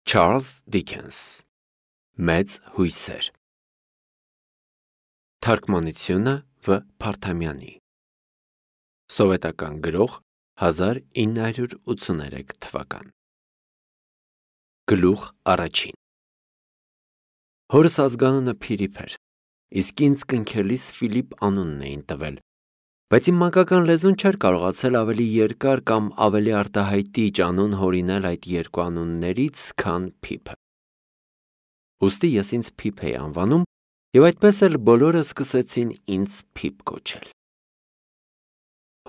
Charles Dickens Մեծ հույսեր Թարգմանությունը Վ. Փարթամյանի Սովետական գրող 1983 թվական Գլուխ առաջին Հորս ազգանունը Փիրիփ էր, իսկ ինձ կնքելիս Ֆիլիպ անունն էին տվել, բայց իմ մանկական լեզուն չէր կարողացել ավելի երկար կամ ավելի արտահայտիչ անուն հորինել այդ երկու անուններից, քան Փիփը։ Ուստի ես ինձ Փիփ էի անվանում, և այդպես էլ բոլորը սկսեցին ինձ Փիփ կոչել։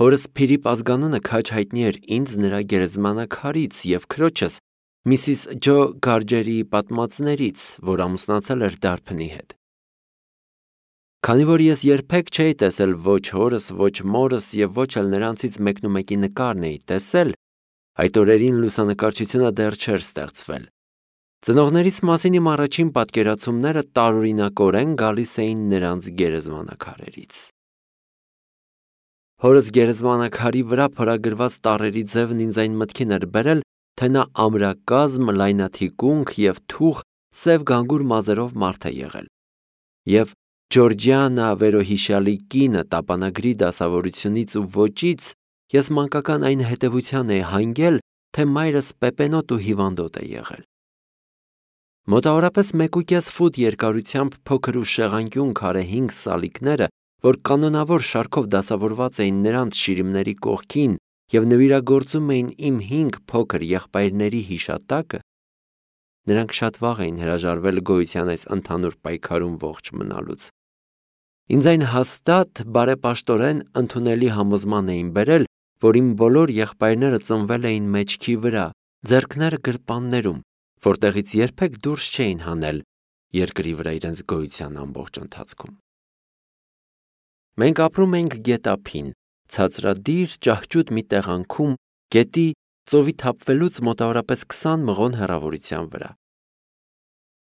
Հորս Փիրիպ ազգանունը քաջ հայտնի էր ինձ նրա գերեզմանակարից և քրոջս Միսիս Ջո Գարջերի պատմածներից, որ ամուսնացել էր դարբնի հետ։ Քանի որ ես երբեք չէի տեսել ոչ հորս, ոչ մորս և ոչ էլ նրանցից մեկնումեկի նկարն էի տեսել, այդ օրերին լուսանկարչությունը դեռ չէր ստեղծվել, ծնողներիս մասին իմ առաջին պատկերացումները տարօրինակորեն գալիս էին նրանց գերեզմանակարերից։ Հորս գերեզմանակարի վրա փորագրված տառերի ձևն ինձ այն մտքին էր բերել, թե նա ամրակազմ, լայնաթիկունք և թուխ սև գանգուր մազերով մարդ է եղել, և Ջորջիանա վերոհիշյալի կինը տապանագրի դասավորությունից ու ոճից ես մանկական այն հետևության էի հանգել, թե մայրս պեպենոտ ու հիվանդոտ է եղել։ Մոտավորապես 1.5 ֆուտ երկարությամբ փոքր ու շեղանկյուն քարե 5 սալիկները, որ կանոնավոր շարքով դասավորված էին նրանց շիրիմների կողքին և նվիրագործում էին իմ 5 փոքր եղբայրների հիշատակը, նրանք շատ վաղ էին հրաժարվել գոյության այս ընդհանուր պայքարում ողջ մնալուց։ Ինձ այն հաստատ, բարեպաշտորեն ընդունելի համոզման էին բերել, որ իմ բոլոր եղբայրները ծնվել էին մեջքի վրա, ձեռքները գրպաններում, որտեղից երբեք դուրս չէին հանել երկրի վրա իրենց գոյության ամբողջ ընթացքում։ Մենք ապրում էինք գետափին, ցածրադիր, ճահճուտ մի տեղանքում, գետի ծովի թափվելուց մոտավորապես 20 մղոն հեռավորության վրա։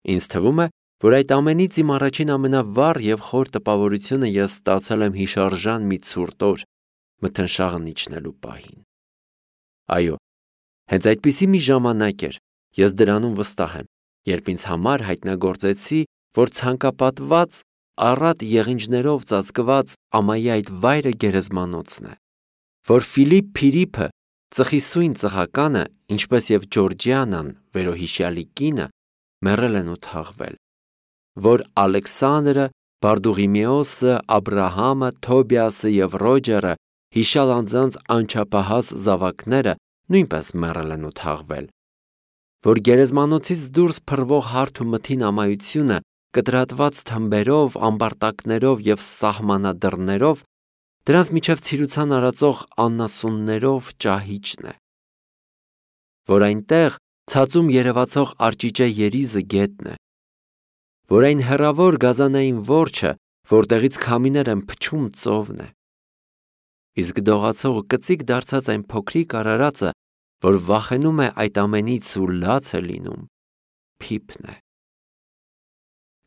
Ինձ թվում է, որ այդ ամենից իմ առաջին ամենավառ և խոր տպավորությունը ես ստացել եմ հիշարժան մի ցուրտ օր, մթնշաղն իջնելու պահին։ Այո, հենց այդպիսի մի ժամանակ էր, ես դրանում վստահ եմ, երբ ինձ համար հայտնագործեցի, որ ցանկապատված, առատ եղինջներով ծածկված ամայի այդ վայրը գերեզմանոցն է, որ Ֆիլիպ Փիրիփը, ծխի սույն ծխականը, ինչպես և Ջորջիանան, վերոհիշյալի կինը, մեռել են ու թաղվել, որ Ալեքսանդրը, Բարդուղիմեոսը, Աբրահամը, Թոբիասը և Ռոջերը, հիշյալ անձանց անչափահաս զավակները նույնպես մեռել են ու թաղվել, որ գերեզմանոցից դուրս փռվող հարթ ու մթին ամայությունը կտրատված թմբերով, ամբարտակներով և սահմանադրներով, դրանց միջև ցիրուցան արածող անասուններով ճահիճն է, որ այնտեղ ցածում երևացող արճիճե երիզը գետն է, որ այն հեռավոր գազանային որջը, որտեղից քամիներ են փչում, ծովն է, իսկ դողացող ու կծիկ դարձած այն փոքրիկ արարածը, որ վախենում է այդ ամենից ու լաց է լինում, Փիփն է։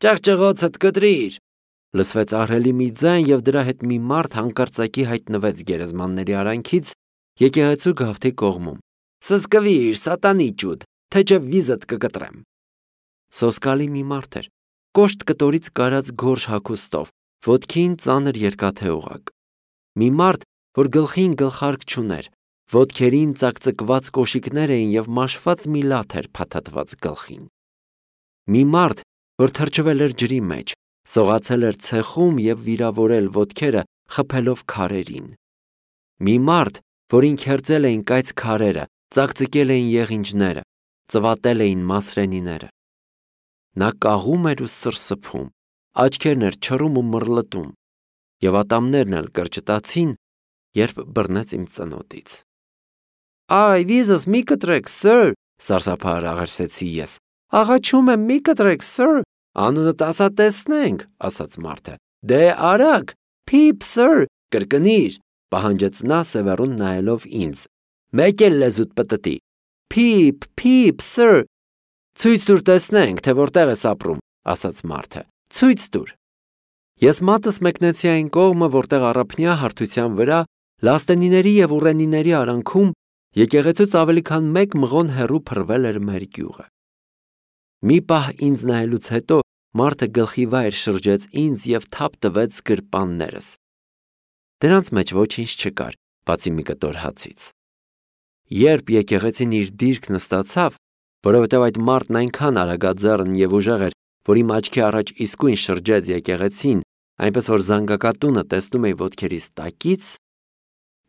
«Ճղճղոցդ կտրիր», լսվեց ահռելի մի ձայն, և դրա հետ մի մարդ հանկարծակի հայտնվեց գերեզմանների արանքից եկեղեցու գավթի կողմում։ «Սսկվիր, սատանի ճուտ, թե չէ վիզդ կկտրեմ»։ Սոսկալի մի մարդ էր, կոշտ կտորից կարած գորշ հագուստով, ոտքին ծանր երկաթե օղակ։ Մի մարդ, որ գլխին գլխարկ չուներ, ոտքերին ծակծկված կոշիկներ էին և մաշված մի լաթ էր փաթաթված գլխին։ Մի մարդ, որ թրջվել էր ջրի մեջ, սողացել էր ցեխում և վիրավորել ոտքերը խփելով քարերին։ Մի մարդ, որին քերծել էին կայծ քարերը, ծակծկել էին եղինջները, ծվատել էին մասրենիները։ Նա կաղում էր ու սրսփում, աչքերն էր չռում ու մռլտում, և ատամներն էլ կրճտացին, երբ բռնեց իմ ծնոտից։ «Այ, վիզս մի կտրեք, սըր», սարսափահար աղերսեցի ես։ «Աղաչում եմ, մի կտրեք, սըր, անունդ ասա տեսնենք», ասաց մարդը։ «Դե արագ, Փիփ, սըր, կրկնիր», պահանջեց նա սևեռուն նայելով ինձ։ «Մեկ էլ լեզուդ պտտի, Փիփ, Փիփ, սըր»։ «Ցույց տուր տեսնենք, թե որտեղ ես ապրում», ասաց մարդը։ «Ցույց տուր»։ Ես մատս մեկնեցի այն կողմը, որտեղ առափնյա հարթության վրա, լաստենիների և ուռենիների արանքում, եկեղեցուց ավելի քան 1 մղոն հեռու փռվել էր մեր գյուղը։ Մի պահ ինձ նայելուց հետո մարդը գլխի վայր շրջեց ինձ և թափ տվեց գրպաններս։ Դրանց մեջ ոչինչ չկար, բացի մի կտոր հացից։ Երբ եկեղեցին իր դիրքն ստացավ, որովհետև այդ մարդն այնքան արագաձեռն և ուժեղ էր, որ իմ աչքի առաջ իսկույն շրջեց եկեղեցին, այնպես որ զանգակատունը տեսնում էի ոտքերիս տակից,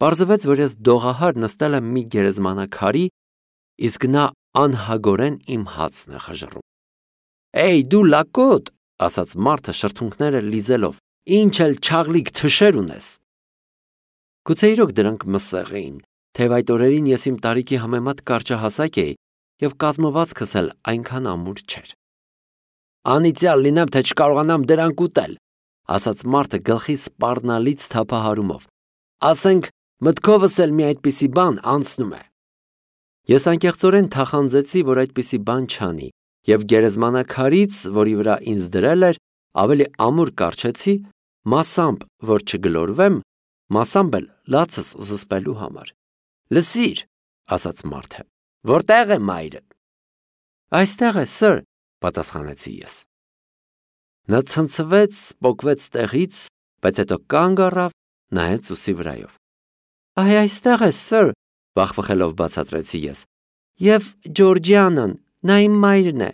պարզվեց, որ ես դողահար նստել եմ մի գերեզմանակարի, իսկ նա անհագորեն իմ հացն է խժռում։ «Էй, դու լակոտ», ասաց մարդը շրթունքները լիզելով, «ինչ էլ չաղլիկ թշեր ունես»։ Գուցե իրոք դրանք մսեղ էին, թեև այդ օրերին ես իմ տարիքի համեմատ կարճահասակ էի և կազմվածքս էլ այնքան ամուր չէր։ «Անիծյալ լինեմ, թե չկարողանամ դրանք ուտել», ասաց մարդը գլխի սպառնալից թափահարումով։ «Ասենք, մտքովս էլ մի այդպիսի բան անցնում է»։ Ես անկեղծորեն թախանձեցի, որ այդպիսի բան չանի, և գերեզմանակարից, որի վրա ինձ դրել էր, ավելի ամուր կառչեցի, մասամբ, որ չգլորվեմ, մասամբ էլ լացս զսպելու համար։ «Լսիր», ասաց մարդը, «որտեղ է մայրդ»։ «Այստեղ է, սըր», պատասխանեցի ես։ Նա ցնցվեց, պոկվեց տեղից, բայց հետո կանգ առավ, նայեց ուսի վրայով։ «Այ այստեղ է, սըր», վախվխելով բացատրեցի ես, «և Ջորջիանան, նա իմ մայրն է»։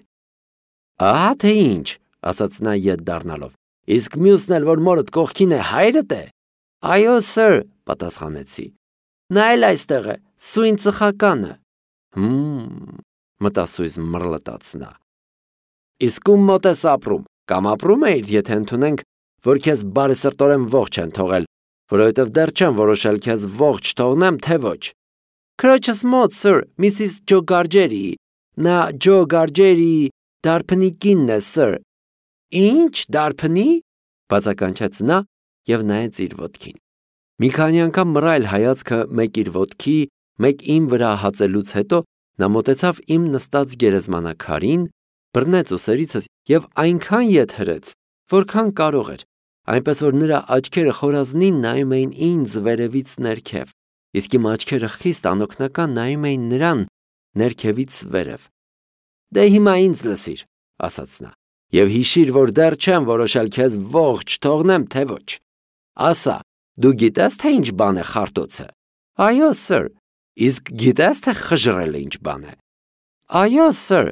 «Ահա թե ինչ», ասաց նա ետ դառնալով, «իսկ մյուսն էլ, որ մորդ կողքին է, հայրդ է»։ «Այո, սըր», պատասխանեցի, «նա էլ այստեղ է, սույն ծխականը»։ Մտասույզ մռլտաց նա։ «Իսկ ում մոտ ես ապրում, կամ ապրում էիր, եթե ընդունենք, որ քեզ բարեսրտորեն ողջ են թողել, որովհետև դեռ չեմ որոշել քեզ ողջ թողնեմ, թե ոչ»։ «Քրոջս մոտ, սըր, Միսիս Ջո Գարջերիի, նա Ջո Գարջերիի դարբնի կինն է, սըր»։ «Ինչ, դարբնի»։ բացականչեց նա և նայեց իր ոտքին։ Մի քանի անգամ մռայլ հայացքը մեկ իր ոտքի, մեկ իմ վրա հացելուց հետո նա մոտեցավ իմ նստած գերեզմանակարին, բռնեց ուսերիցս և այնքան ետ հրեց, որքան կարող էր, այնպես որ նրա աչքերը խորազնին նայում էին ինձ վերևից ներքև, իսկ իմ աչքերը խիստ անօգնական նայում էին նրան ներքևից վերև։ «Դե հիմա ինձ լսիր», ասաց նա, «և հիշիր, որ դեռ չեմ որոշել քեզ ողջ թողնեմ, թե ոչ։ Ասա, դու գիտես, թե ինչ բան է խարտոցը»։ «Այո, սըր»։ «Իսկ գիտես, թե խժռելը ինչ բան է»։ «Այո, սըր»։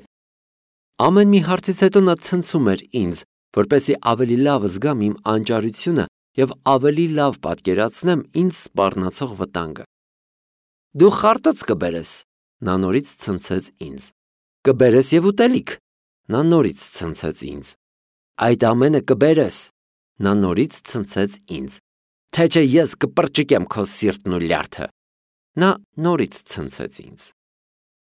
Ամեն մի հարցից հետո նա ցնցում էր ինձ, որպեսզի ավելի լավ զգամ իմ անճարությունը և ավելի լավ պատկերացնեմ ինձ սպառնացող վտանգը։ «Դու խարտոց կբերես», նա նորից ցնցեց ինձ։ «Կբերես և ուտելիք», նա նորից ցնցեց ինձ։ «Այդ ամենը կբերես», նա նորից ցնցեց ինձ։ «Թե չէ ես կպրճկեմ քո սիրտն ու լյարդը», նա նորից ցնցեց ինձ։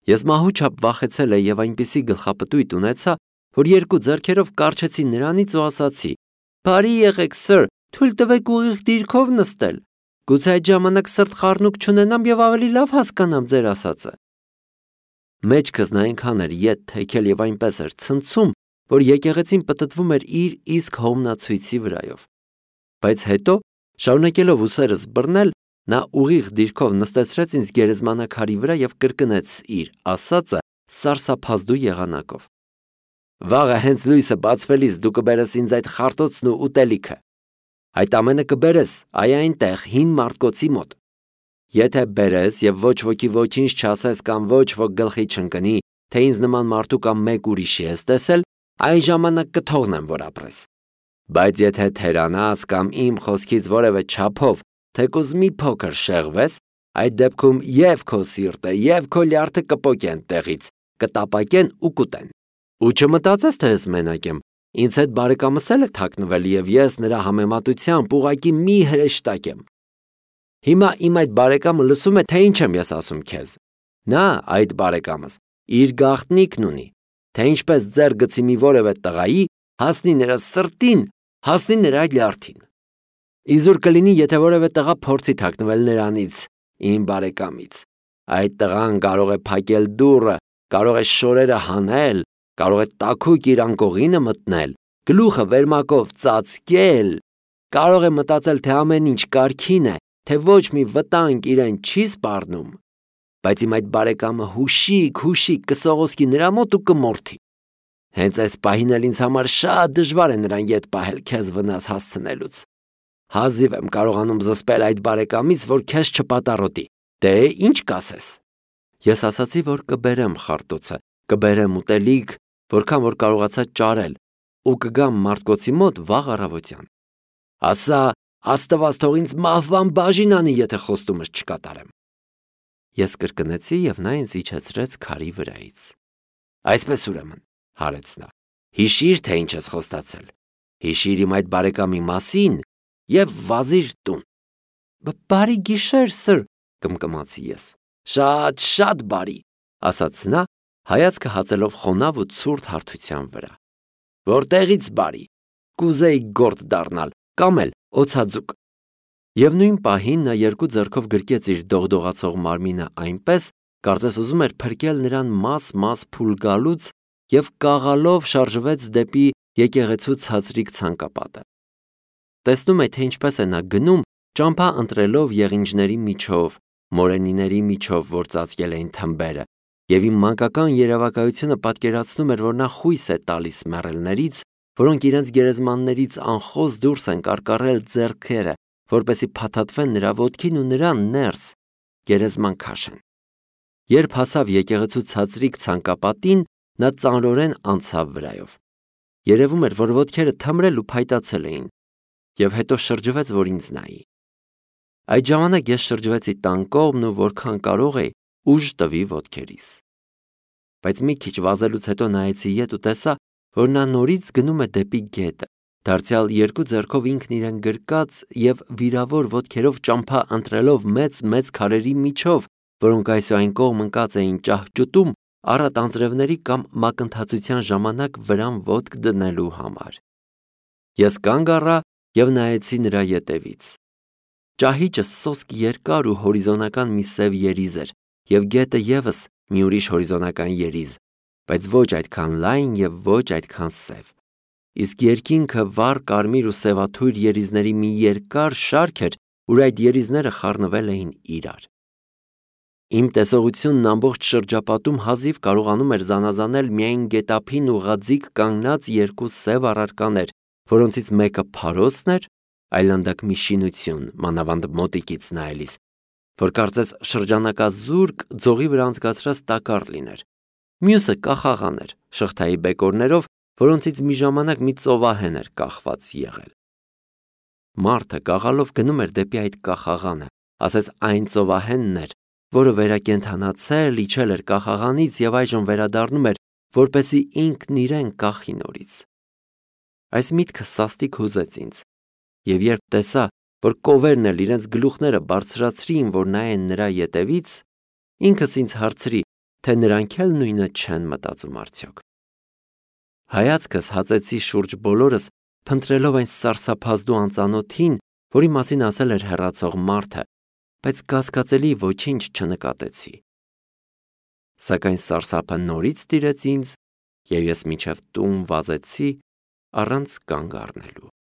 Ես մահու չափ վախեցել էի և այնպիսի գլխապտույտ ունեցա, որ երկու ձեռքերով կառչեցի նրանից ու ասացի. «Բարի եղեք, սըր, թույլ տվեք ուղիղ դիրքով նստել։ Գուցե այդ ժամանակ սրտխառնուկ չունենամ և ավելի լավ հասկանամ ձեր ասածը»։ Մեջքս նա այնքան էր ետ թեքել և այնպես էր ցնցում, որ եկեղեցին պտտվում էր իր իսկ հոմնացույցի վրայով։ Բայց հետո, շարունակելով ուսերս բռնել, նա ուղիղ դիրքով նստեցրեց ինձ գերեզմանակարի վրա և կրկնեց իր ասածը սարսափազդու եղանակով։ «Վաղը հենց լույսը բացվելիս դու կբերես ինձ այդ խարտոցն ու ուտելիքը։ Այդ ամենը կբերես այ այնտեղ հին մարդկոցի մոտ։ Եթե բերես և ոչ ոքի ոչինչ չասես կամ ոչ ոք գլխի չընկնի, թե ինձ նման մարդու կամ մեկ ուրիշի ես տեսել, այն ժամանակ կթողնեմ, որ ապրես։ Բայց եթե թերանաս կամ իմ խոսքից որևէ չափով թեկուզ մի փոքր շեղվես, այդ դեպքում և քո սիրտը, և քո լյարդը կպոկեն տեղից, կտապակեն ու կուտեն։ Ու չմտածես, թե ես մենակ եմ, ինձ հետ բարեկամս էլ է թաքնվել և ես նրա համեմատությամբ ուղղակի մի հրեշտակ եմ։ Հիմա իմ այդ բարեկամը լսում է, թե ինչ եմ ես ասում քեզ։ Նա, այդ բարեկամս, իր գաղտնիքն ունի, թե ինչպես ձեռ գցի մի որևէ տղայի, հասնի նրա սրտին, հասնի նրա լյարդին։ Իզուր կլինի, եթե որևէ տղա փորձի թաքնվել նրանից, իմ բարեկամից։ Այդ տղան կարող է փակել դուռը, կարող է շորերը հանել, կարող է տաքուկ իր անկողինը մտնել, գլուխը վերմակով ծածկել, կարող է մտածել, թե ամեն ինչ կարգին է, թե ոչ մի վտանգ իրեն չի սպառնում, բայց իմ այդ բարեկամը հուշիկ կսողոսկի նրա մոտ ու կմորթի։ Հենց այս պահին էլ ինձ համար շատ դժվար է նրան ետ պահել քեզ վնաս հասցնելուց։ Հազիվ եմ կարողանում զսպել այդ բարեկամից, որ քեզ չպատառոտի։ Դե ինչ կասես։ Ես ասացի, որ կբերեմ խարտոցը, կբերեմ ուտելիք, որքան որ կարողացա ճարել, ու կգամ Մարտկոցի մոտ վաղ առավոտյան։ Ասա, Աստված թող ինձ մահվան բաժին անի, եթե խոստումս չկատարեմ։ Ես կրկնեցի և նա ինձ իջեցրեց քարի վրայից։ Այսպես ուրեմն, հարեց նա, հիշիր, թե ինչ ես խոստացել։ Հիշիր իմ այդ բարեկամի մասին և վազիր տուն։ Բարի գիշեր, սըր, կմկմացի ես։ Շատ բարի, ասաց նա, հայացքը հածելով խոնավ ու ցուրտ հարթության վրա։ Որտեղից բարի, կուզեի գործ դառնալ, կամ էլ օձաձուկ։ Եվ նույն պահին նա երկու ձեռքով գրկեց իր դողդողացող մարմինը այնպես, կարծես ուզում էր փրկել նրան մաս փուլ գալուց և կաղալով շարժվեց դեպի եկեղեցու ցածրիկ ցանկապատը։ Տեսնում եք, թե ինչպես է նա գնում, ճամփա ընտրելով եղինջների միջով, մորենիների միջով, որ ծածկել էին թմբերը, և իմ մանկական երևակայությունը պատկերացնում էր, որ նա խույս է տալիս մեռելներից, որոնք իրենց գերեզմաններից անխոս դուրս են կարկառել ձեռքերը, որպեսզի փաթաթվեն նրա ոտքին ու նրան ներս գերեզման քաշեն։ Երբ հասավ եկեղեցու ցածրիկ ցանկապատին, նա ծանրորեն անցավ վրայով։ Երևում էր, որ ոտքերը թմրել ու փայտացել էին, և հետո շրջվեց, որ ինձ նայի։ Այդ ժամանակ ես շրջվեցի տան կողմն ու որքան կարող էի ուժ տվի ոտքերիս։ Բայց մի քիչ վազելուց հետո նայեցի ետ ու տեսա, որ նա նորից գնում է դեպի գետը, դարձյալ երկու ձեռքով ինքն իրեն գրկած և վիրավոր ոտքերով ճամփա ընտրելով մեծ քարերի միջով, որոնք այս ու այն կողմ ընկած էին ճահճուտում առատ անձրևների կամ մակընթացության ժամանակ վրան ոտք դնելու համար։ Ես կանգ առա և նայեցի նրա ետևից։ Ճահիճը սոսկ երկար ու հորիզոնական մի սև երիզ էր, և գետը ևս մի ուրիշ հորիզոնական երիզ, բայց ոչ այդքան լայն և ոչ այդքան սև։ Իսկ երկինքը վառ կարմիր ու սևաթույր երիզների մի երկար շարք էր, ուր այդ երիզները խառնվել էին իրար։ Իմ տեսողությունն ամբողջ շրջապատում հազիվ կարողանում էր զանազանել միայն գետափին ուղղաձիգ կանգնած երկու սև առարկաներ, որոնցից մեկը փարոսն էր, այլանդակ մի շինություն, մանավանդ մոտիկից նայելիս, որ կարծես շրջանակազուրկ ձողի վրա անցկացրած տակառ լիներ։ Մյուսը կախաղան էր, շղթայի բեկորներով, որոնցից մի ժամանակ մի ծովահեն էր կախված եղել։ Մարդը կաղալով գնում էր դեպի այդ կախաղանը, ասես այն ծովահենն էր, որը վերակենդանացել, իջել էր կախաղանից և այժմ վերադառնում էր, որպեսզի ինքն իրեն կախի նորից։ Այս միտքը սաստիկ հուզեց ինձ, և երբ տեսա, որ կովերն էլ իրենց գլուխները բարձրացրին, որ նայեն նրա ետևից, ինքս ինձ հարցրի, թե նրանք էլ նույնը չեն մտածում արդյոք։ Հայացքս հածեցի շուրջ բոլորս, փնտրելով այն սարսափազդու անծանոթին, որի մասին ասել էր հեռացող մարդը, բայց կասկածելի ոչինչ չնկատեցի։ Սակայն սարսափը նորից տիրեց ինձ, և ես մինչև տուն վազեցի առանց կանգ առնելու։